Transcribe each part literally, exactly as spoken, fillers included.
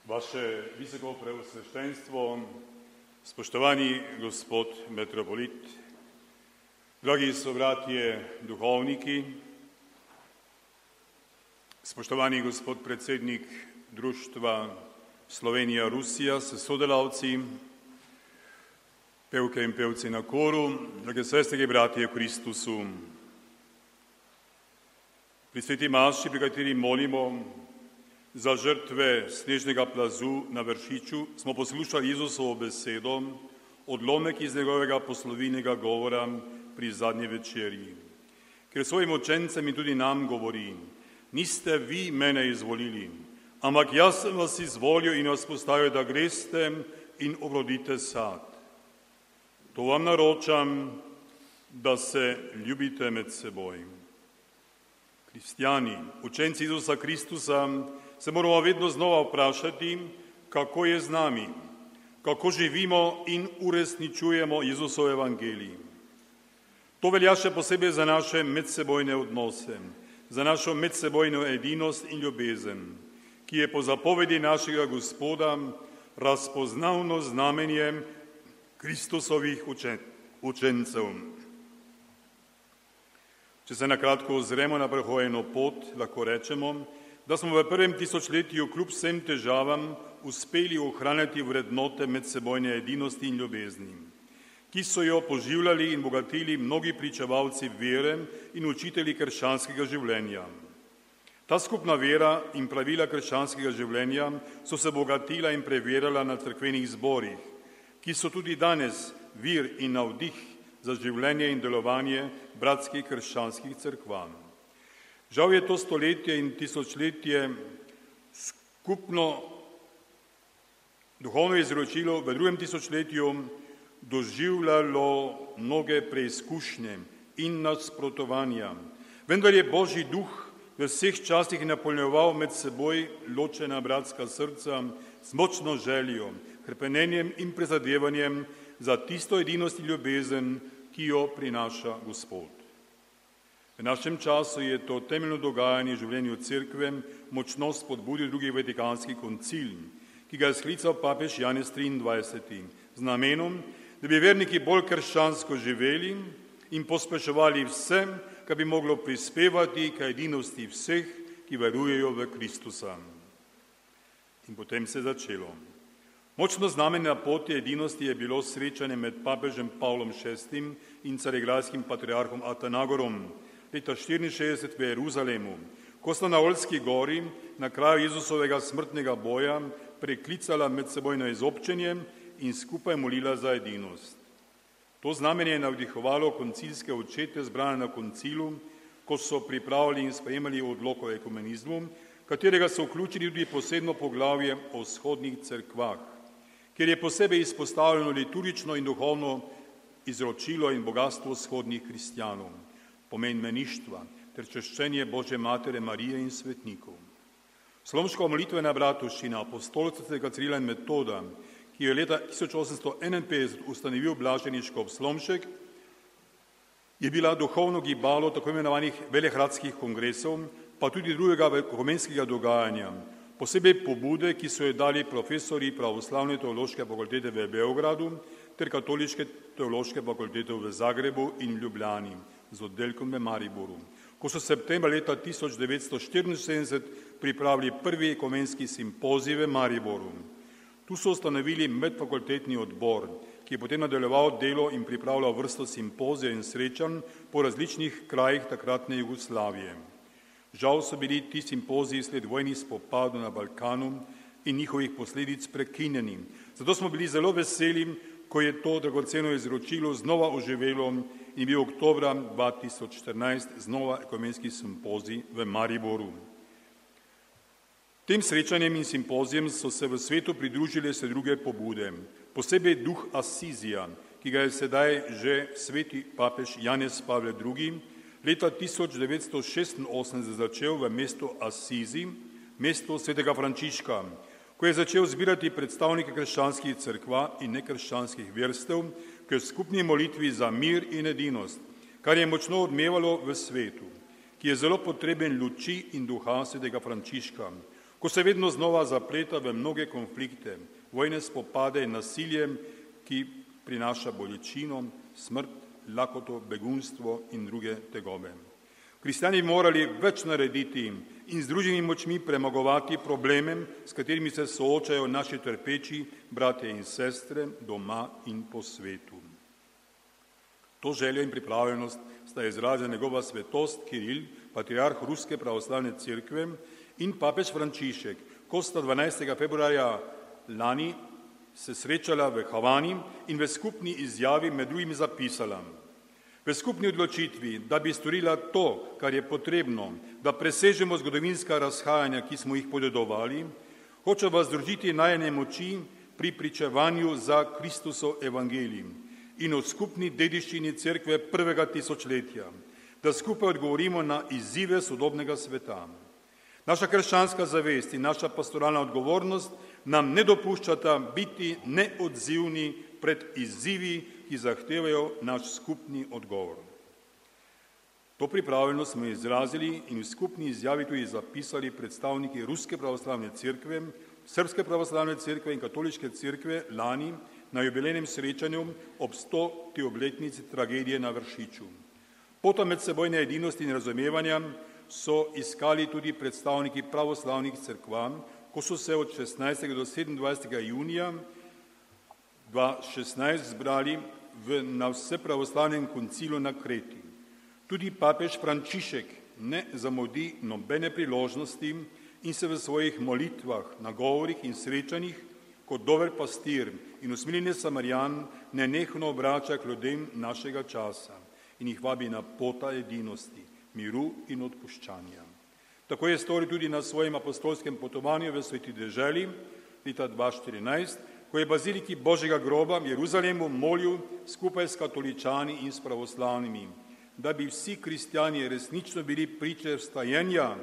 Vaše visoko preosveštenstvo, spoštovani gospod metropolit, dragi sobratje duhovniki, spoštovani gospod predsednik Društva Slovenija-Rusija s sodelavci, pevke in pevci na koru, drage sestre in bratje v Kristusu. Pri sveti maši, pri kateri molimo za žrtve snežnega plazu na Vršiču, smo poslušali Jezusovo besedo, odlomek iz njegovega poslovilnega govora pri zadnji večerji, ker svojim učencem in tudi nam govori: niste vi mene izvolili, ampak jaz sem vas izvolil in vas postavil, da greste in obrodite sad. To vam naročam, da se ljubite med seboj. Kristjani, učenci Jezusa Kristusa, se moramo vedno znova vprašati, kako je z nami, kako živimo in uresničujemo Jezusov evangelij. To velja še posebej za naše medsebojne odnose, za našo medsebojno edinost in ljubezen, ki je po zapovedi našega Gospoda razpoznavno znamenje Kristusovih učen, učencev. Če se na kratko ozremo na prehojeno pot, lahko rečemo, da smo v prvem tisočletju kljub vsem težavam uspeli ohraniti vrednote medsebojne edinosti in ljubezni, ki so jo poživljali in bogatili mnogi pričevalci vere in učitelji krščanskega življenja. Ta skupna vera in pravila krščanskega življenja so se bogatila in preverjala na cerkvenih zborih, ki so tudi danes vir in navdih za življenje in delovanje bratskih krščanskih cerkva. Žal je to stoletje in tisočletje skupno duhovno izročilo v drugem tisočletju doživljalo mnoge preizkušnje in nasprotovanja. Vendar je Božji duh v vseh časih napolnjeval med seboj ločena bratska srca z močno željo, hrepenenjem in prizadevanjem za tisto edinost in ljubezen, ki jo prinaša Gospod. V našem času je to temeljno dogajanje v življenju cerkve močno spodbudil drugi vatikanski koncil, ki ga je sklical papež Janez triindvajseti z namenom, da bi verniki bolj krščansko živeli in pospeševali vse, kar bi moglo prispevati k edinosti vseh, ki verujejo v Kristusa. In potem se je začelo. Močno znamenje na poti edinosti je bilo srečanje med papežem Pavlom šestim in carigrajskim patriarhom Atanagorom leta štiriinšestdeset v Jeruzalemu, ko sta na Oljski gori na kraju Jezusovega smrtnega boja preklicala medsebojno izobčenje in skupaj molila za edinost. To znamenje je navdihovalo koncilske očete zbrane na koncilu, ko so pripravili in sprejemali odlok o ekumenizmu, katerega so vključili tudi posebno poglavje o vzhodnih cerkvah, kjer je posebej izpostavljeno liturgično in duhovno izročilo in bogatstvo vzhodnih kristjanov, pomen meništva ter češčenje Božje matere Marije in svetnikov. Slomška molitvena bratovščina apostolca svetega Cirila in Metoda, ki je leta tisoč osemsto enainpetdeset ustanovil blaženi škof Slomšek, je bila duhovno gibalo tako imenovanih velehradskih kongresov, pa tudi drugega ekumenskega dogajanja, posebej pobude, ki so jo dali profesori pravoslavne teološke fakultete v Beogradu ter katoliške teološke fakultete v Zagrebu in Ljubljani z oddelkom v Mariboru, ko so septembra leta tisoč devetsto štiriinsedemdeset pripravili prvi ekumenski simpozij v Mariboru. Tu so ustanovili medfakultetni odbor, ki je potem nadaljeval delo in pripravljal vrsto simpozij in srečanj po različnih krajih takratne Jugoslavije. Žal so bili ti simpoziji sled vojnih spopadov na Balkanu in njihovih posledic prekinjeni. Zato smo bili zelo veseli, ko je to dragoceno izročilo znova oživelo in bil oktobra dva tisoč štirinajst znova ekumenski simpozij v Mariboru. Tem srečanjem in simpozijem so se v svetu pridružile se druge pobude, posebej duh Asizija, ki ga je sedaj že sveti papež Janez Pavel drugi leta tisoč devetsto šestinosemdeset začel v mestu Asizi, mesto svetega Frančiška, ko je začel zbirati predstavnike krščanskih cerkva in nekrščanskih verstev k skupni molitvi za mir in edinost, kar je močno odmevalo v svetu, ki je zelo potreben luči in duha svetega Frančiška, ko se vedno znova zapleta v mnoge konflikte, vojne spopade in nasilje, ki prinaša bolečino, smrt, lakoto, begunstvo in druge tegobe. Kristjani bi morali več narediti in z družnimi močmi premagovati probleme, s katerimi se soočajo naši trpeči bratje in sestre doma in po svetu. To željo in pripravljenost sta izrazila njegova svetost Kiril, patriarh Ruske pravoslavne cerkve, in papež Frančišek, ko sta dvanajstega februarja lani se srečala v Havani in v skupni izjavi med drugim zapisala: v skupni odločitvi, da bi storila to, kar je potrebno, da presežemo zgodovinska razhajanja, ki smo jih podedovali, hoče vas združiti najine moči pri pričevanju za Kristusov evangelij in o skupni dediščini cerkve prvega tisočletja, da skupaj odgovorimo na izzive sodobnega sveta. Naša krščanska zavest in naša pastoralna odgovornost nam ne dopuščata biti neodzivni pred izzivi, ki zahtevajo naš skupni odgovor. To pripravljenost smo izrazili in v skupni izjavi tudi zapisali predstavniki Ruske pravoslavne cerkve, Srpske pravoslavne cerkve in Katoliške cerkve lani na jubilejnem srečanju ob stoti obletnici tragedije na Vršiču. Pota medsebojne edinosti in razumevanja so iskali tudi predstavniki pravoslavnih cerkva, ko so se od šestnajstega do sedemindvajsetega junija dva tisoč šestnajst zbrali v, na vsepravoslavnem koncilu na Kreti. Tudi papež Frančišek ne zamudi nobene priložnosti in se v svojih molitvah, nagovorih in srečanjih kot dober pastir in usmiljeni Samarijan nenehno obrača k ljudem našega časa in jih vabi na pota edinosti, miru in odpuščanja. Tako je storil tudi na svojem apostolskem potovanju v Sveti deželi leta dva tisoč štirinajst, ko je baziliki Božjega groba v Jeruzalemu molil skupaj s katoličani in s pravoslavnimi, da bi vsi kristjani resnično bili priče vstajenja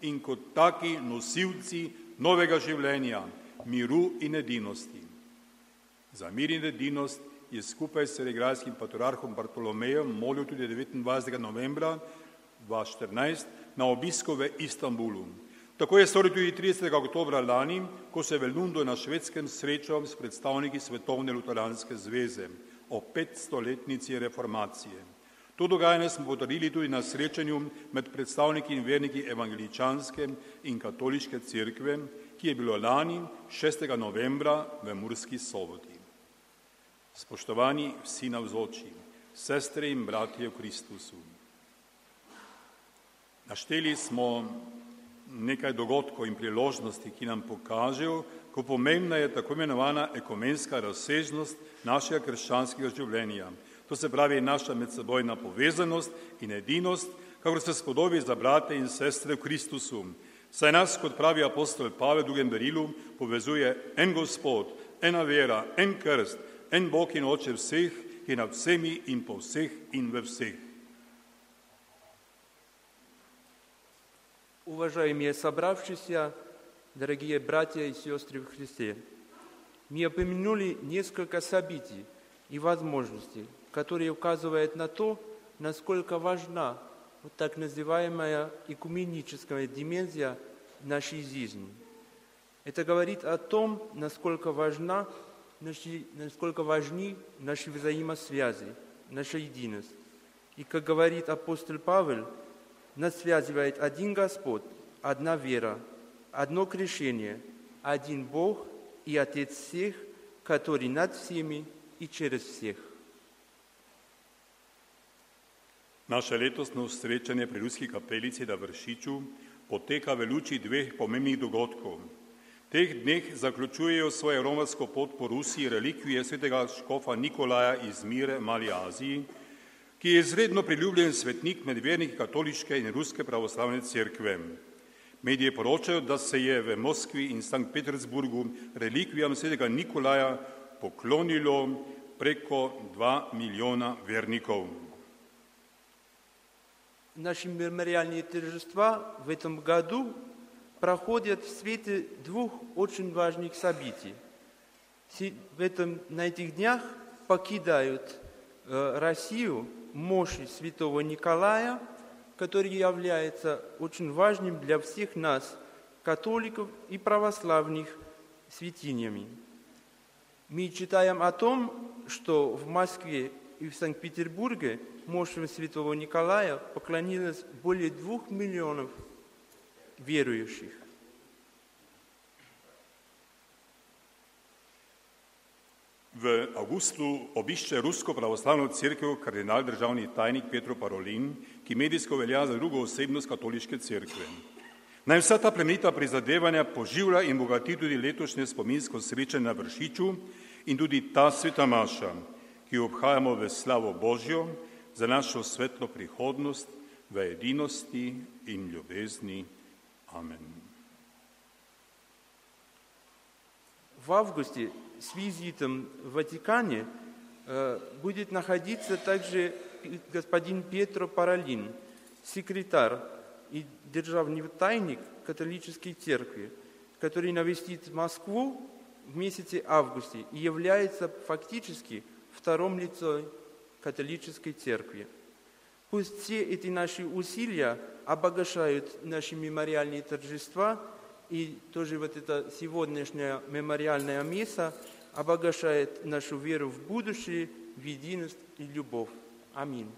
in kot taki nosilci novega življenja, miru in edinosti. Za mir in edinost je skupaj s carigrajskim patriarhom Bartolomejem molil tudi devetindvajsetega novembra dva tisoč štirinajst na obisku v Istanbulu. Tako je storil tudi tridesetega oktobra lani, ko se je v Lundu na Švedskem srečal s predstavniki Svetovne luteranske zveze o petstoletnici reformacije. To dogajanje smo potrdili tudi na srečanju med predstavniki in verniki evangeličanske in katoliške cerkve, ki je bilo lani šestega novembra v Murski Soboti. Spoštovani vsi navzoči, sestre in bratje v Kristusu, našteli smo nekaj dogodkov in priložnosti, ki nam pokažejo, kako pomembna je tako imenovana ekumenska razsežnost našega krščanskega življenja. To se pravi naša medsebojna povezanost in edinost, kakor se spodobi za brate in sestre v Kristusu. Saj nas, kot pravi apostol Pavel v drugem berilu, povezuje en Gospod, ena vera, en krst, en Bog in Oče vseh, ki je nad vsemi in po vseh in ve vseh. Уважаемые собравшиеся, дорогие братья и сестры в Христе, мы упомянули несколько событий и возможностей, которые указывают на то, насколько важна вот так называемая экуменическая дименсия нашей жизни. Это говорит о том, насколько важна, насколько важны наши взаимосвязи, наша единость. И, как говорит апостол Павел, нас связывает один Господь, одна вера, одно крещение, один Бог и Отец всех, который над всеми и через всех. Naše letosno srečanje pri Ruski kapelici na Vršiču poteka v luči dveh pomembnih dogodkov. Teh dneh zaključujejo svojo romarsko pot po Rusiji relikvije svetega škofa Nikolaja iz Mire v Mali Aziji, ki je izredno priljubljen svetnik med verniki katoliške in ruske pravoslavne cerkve. Mediji poročajo, da se je v Moskvi in Sankt Petersburgu relikvijam svetega Nikolaja poklonilo preko dva milijona vernikov. Наши мемориальные торжества в этом году проходят в свете двух очень важных событий. В этом, на этих днях покидают э, Россию мощи святого Николая, который является очень важным для всех нас, католиков и православных святынями. Мы читаем о том, что в Москве и в Санкт-Петербурге мощам святого Николая поклонилось более двух миллионов верующих. V augustu obišče Rusko pravoslavno cerkev kardinal državni tajnik Petro Parolin, ki medijsko velja za drugo osebnost katoliške cerkve. Naj vsa ta plemenita prizadevanja poživlja in bogati tudi letošnje spominsko srečanje na Vršiču in tudi ta sveta maša, ki jo obhajamo v slavo Božjo za našo svetlo prihodnost v edinosti in ljubezni. Amen. В августе с визитом в Ватикане э, будет находиться также господин Петро Паролин, секретарь и державный тайник католической церкви, который навестит Москву в месяце августе и является фактически вторым лицом католической церкви. Пусть все эти наши усилия обогащают наши мемориальные торжества, и тоже вот это сегодняшнее мемориальное место обогащает нашу веру в будущее, в единость и любовь. Аминь.